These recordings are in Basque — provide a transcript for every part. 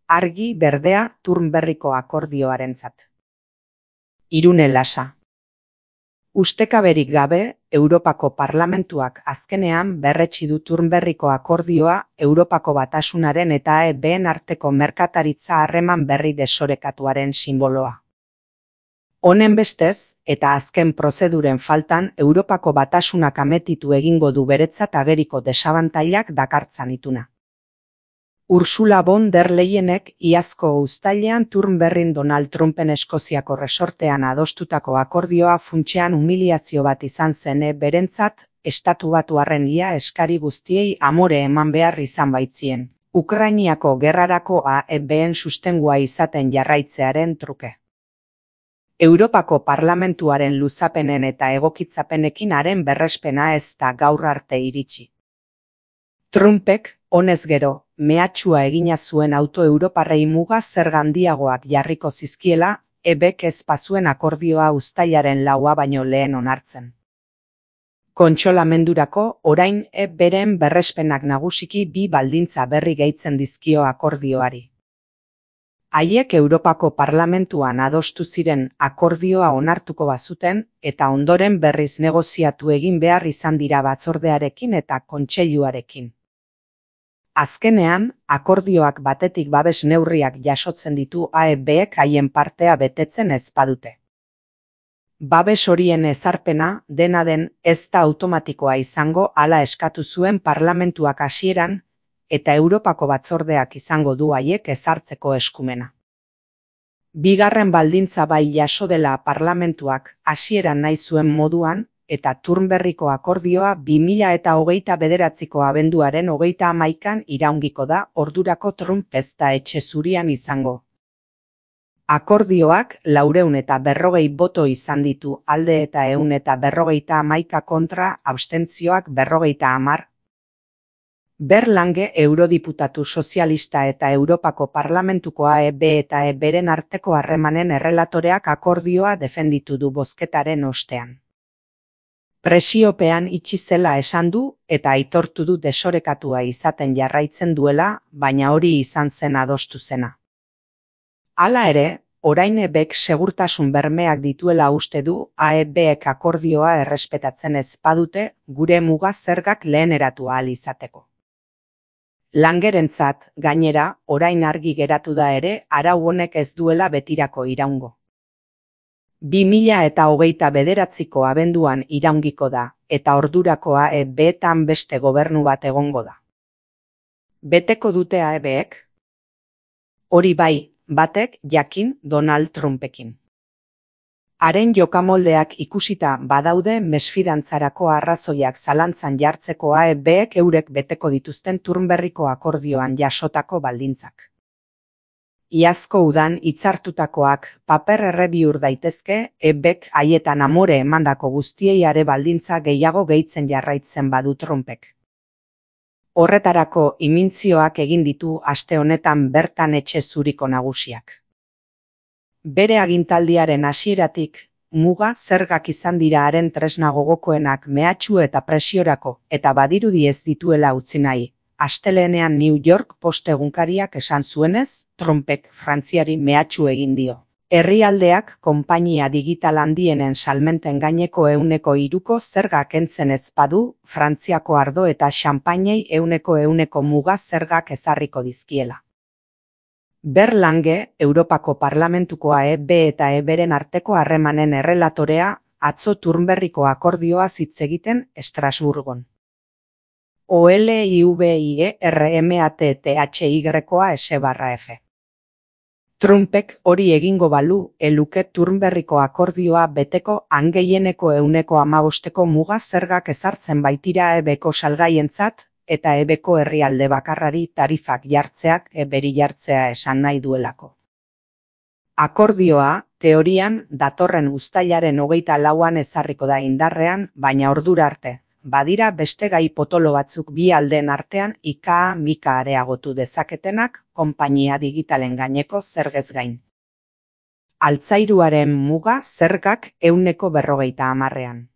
argi berdea Turnberriko akordioarentzat. Irune Lasa. Ustekaberik gabe, Europako Parlamentuak azkenean berretsi du Turnberriko akordioa Europako Batasunaren eta EBen arteko merkataritza harreman berri desorekatuaren sinboloa. Honen bestez, eta azken prozeduren faltan, Europako Batasunak ametitu egingo du beretzat ageriko desabantailak dakartzan ituna. Ursula von der Leyenek iazko uztailean Turnberrin Donald Trumpen Eskoziako resortean adostutako akordioa funtsean humiliazio bat izan zen berentzat, estatu batuarren ia eskari guztiei amore eman behar izan baitzien, Ukrainiako gerrarako EBen sustengua izaten jarraitzearen truke. Europako Parlamentuaren luzapenen eta egokitzapenekin haren berrespena ez da gaur arte iritsi. Trumpek, honez gero, mehatxua egina zuen auto europarrei muga zerga handiagoak jarriko zizkiela, EBek ez bazuen akordioa uztailaren 4 baino lehen onartzen. Kontsolamendurako, orain EBren berrespenak nagusiki 2 baldintza berri gehitzen dizkio akordioari. Haiek Europako Parlamentuan adostu ziren akordioa onartuko bazuten eta ondoren berriz negoziatu egin behar izan dira batzordearekin eta kontseiluarekin. Azkenean, akordioak batetik babes neurriak jasotzen ditu EBek haien partea betetzen ez badute. Babes horien ezarpena, dena den, ez da automatikoa izango hala eskatu zuen Parlamentuak hasieran, eta Europako batzordeak izango du haiek ezartzeko eskumena. Bigarren baldintza bai jaso dela Parlamentuak hasieran nahi zuen moduan, eta Turnberriko akordioa 2029ko abenduaren 31an iraungiko da, ordurako Trump ez da etxe zurian izango. Akordioak 440 boto izan ditu alde eta 151 kontra, abstentzioak 50. Berlange eurodiputatu sozialista eta Europako Parlamentuko EB eta EBren arteko harremanen errelatoreak akordioa defenditu du bozketaren ostean. Presiopean itxi zela esan du eta aitortu du desorekatua izaten jarraitzen duela, baina hori izan zen adostu zena. Hala ere, orain EBek segurtasun bermeak dituela uste du EBek akordioa errespetatzen ez badute gure muga zergak leheneratu ahal izateko. Langerentzat, gainera, orain argi geratu da ere, arau honek ez duela betirako iraungo. 2029ko abenduan iraungiko da, eta ordurakoa EBetan beste gobernu bat egongo da. Beteko dute EBek? Hori bai, batek jakin Donald Trumpekin. Haren jokamoldeak ikusita badaude mesfidantzarako arrazoiak zalantzan jartzeko EBek eurek beteko dituzten Turnberriko akordioan jasotako baldintzak. Iazko udan hitzartutakoak paper erre bihur daitezke, EBek haietan amore emandako guztiei are baldintza gehiago gehitzen jarraitzen badu Trumpek. Horretarako imintzioak egin ditu aste honetan bertan etxe zuriko nagusiak. Bere agintaldiaren hasieratik, muga zergak izan dira haren tresna gogokoenak mehatxu eta presiorako, eta badirudi ez dituela utzi nahi. Astelehenean New York Post egunkariak esan zuenez, Trumpek Frantziari mehatxu egin dio. Herrialdeak konpainia digital handienen salmenten gaineko 3% zerga kentzen ez badu, Frantziako ardo eta xanpainei 100% muga zergak ezarriko dizkiela. Berlange, Europako Parlamentukoa EB eta EBren arteko harremanen errelatorea, atzo Turnberriko akordioa hitz egiten Estrasburgon. OLIVIERMATTHYA Trumpek hori egingo balu, eluke Turnberriko akordioa beteko gehien-eko 115ko muga zergak ezartzen baitira EBko salgaientzat, eta EBko herrialde bakarrari tarifak jartzeak EBri jartzea esan nahi duelako. Akordioa, teorian, datorren uztailaren 24an ezarriko da indarrean, baina ordura arte. Badira beste gai potolo batzuk bi aldeen artean mika areagotu dezaketenak konpainia digitalen gaineko zergez gain. Altzairuaren muga zergak 150ean.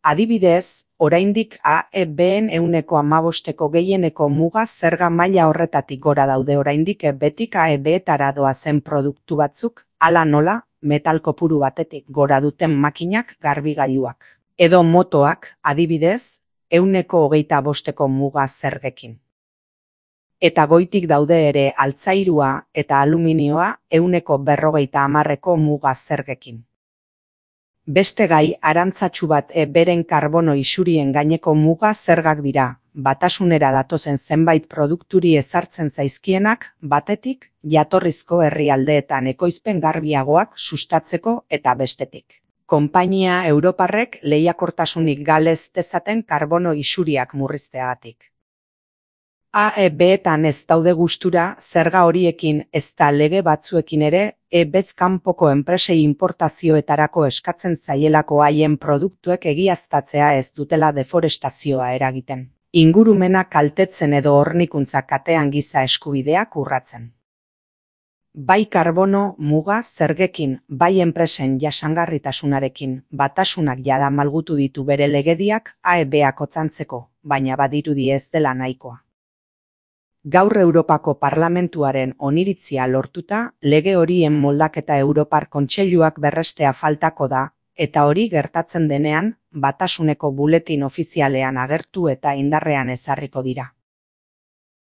Adibidez, oraindik AEB-en 15%ko gehieneko muga zerga maila horretatik gora daude oraindik betik AEB-etara doazen produktu batzuk, hala nola, metal kopuru batetik gora duten makinak, garbigailuak. Edo motoak, adibidez, 25%ko muga zergekin. Eta goitik daude ere altzairua eta aluminioa 50%ko muga zergekin. Beste gai arantzatsu bat beren karbono isurien gaineko muga zergak dira, batasunera datozen zenbait produkturi ezartzen zaizkienak, batetik, jatorrizko herrialdeetan ekoizpen garbiagoak sustatzeko eta bestetik. Konpainia europarrek lehiakortasunik galez dezaten karbono isuriak murrizteagatik. AEB-etan ez daude gustura zerga horiekin ezta lege batzuekin ere, bez kanpoko enpresei inportazioetarako eskatzen zaielako haien produktuek egiaztatzea ez dutela deforestazioa eragiten. Ingurumena kaltetzen edo hornikuntza katean giza eskubideak urratzen. Bai karbono muga zergekin, bai enpresen jasangarritasunarekin, batasunak jada malgutu ditu bere legediak AEB-ak otzantzeko, baina badirudi ez dela nahikoa. Gaur Europako Parlamentuaren oniritzia lortuta, lege horien moldaketa Europar Kontseiluak berrestea faltako da, eta hori gertatzen denean, batasuneko buletin ofizialean agertu eta indarrean ezarriko dira.